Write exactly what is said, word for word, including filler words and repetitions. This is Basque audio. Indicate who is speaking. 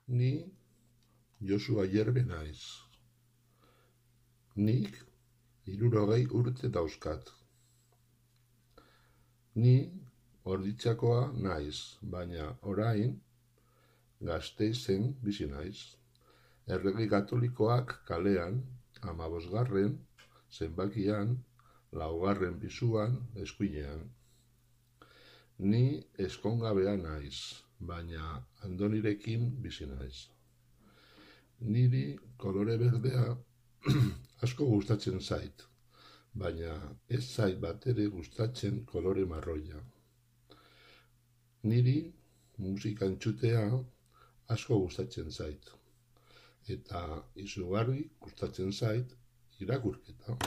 Speaker 1: Ni Josu Ayerbe naiz. Nik hirurogei urte dauzkat. Ni Orditxakoa naiz, baina orain Gasteizen bizi naiz. Errege Katolikoak kalean, hamabosgarren zenbakian, laugarren pisuan, eskuinean. Ni ezkongabea naiz, baina Andonirekin bizi naiz. Niri kolore berdea asko gustatzen zait, baina ez zait batere gustatzen kolore marroia. Niri musika entzutea asko gustatzen zait, eta izugarri gustatzen zait irakurketa.